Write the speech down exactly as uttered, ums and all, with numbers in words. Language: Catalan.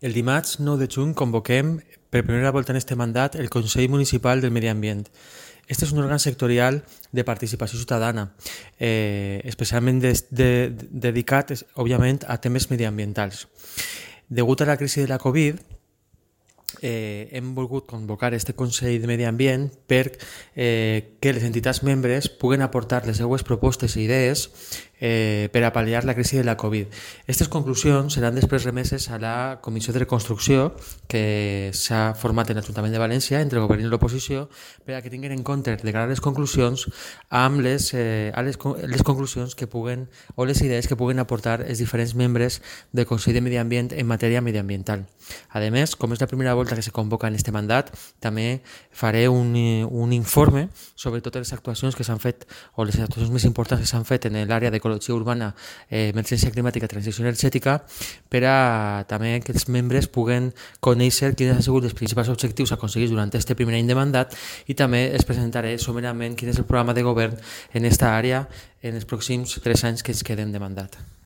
El dimarts nou de juny convoquem per primera volta en este mandat el Consell Municipal del Medi Ambient. Este és un òrgan sectorial de participació ciutadana, eh, especialment des, de, de, dedicat, òbviament, a temes mediambientals. Degut a la crisi de la Covid, eh, hem volgut convocar este Consell de Medi Ambient per eh, que les entitats membres puguen aportar les seues propostes i idees eh, per a pal·liar la crisi de la Covid. Aquestes conclusions seran després remeses a la Comissió de Reconstrucció que s'ha format en l'Ajuntament de València entre el govern i l'oposició per a que tinguin en compte declarar les conclusions amb les, eh, a les, les conclusions que puguen o les idees que puguen aportar els diferents membres del Consell de Medi Ambient en matèria mediambiental. A més, com és la primera volta que se convoca en este mandat, també faré un, un informe sobre totes les actuacions que s'han fet o les actuacions més importants que s'han fet en l'àrea d'ecologia urbana, eh, emergència climàtica i transició energètica per a també que els membres puguen conèixer quins han sigut els principals objectius aconseguits durant aquest primer any de mandat i també es presentaré somerament quin és el programa de govern en aquesta àrea en els pròxims tres anys que ens queden de mandat.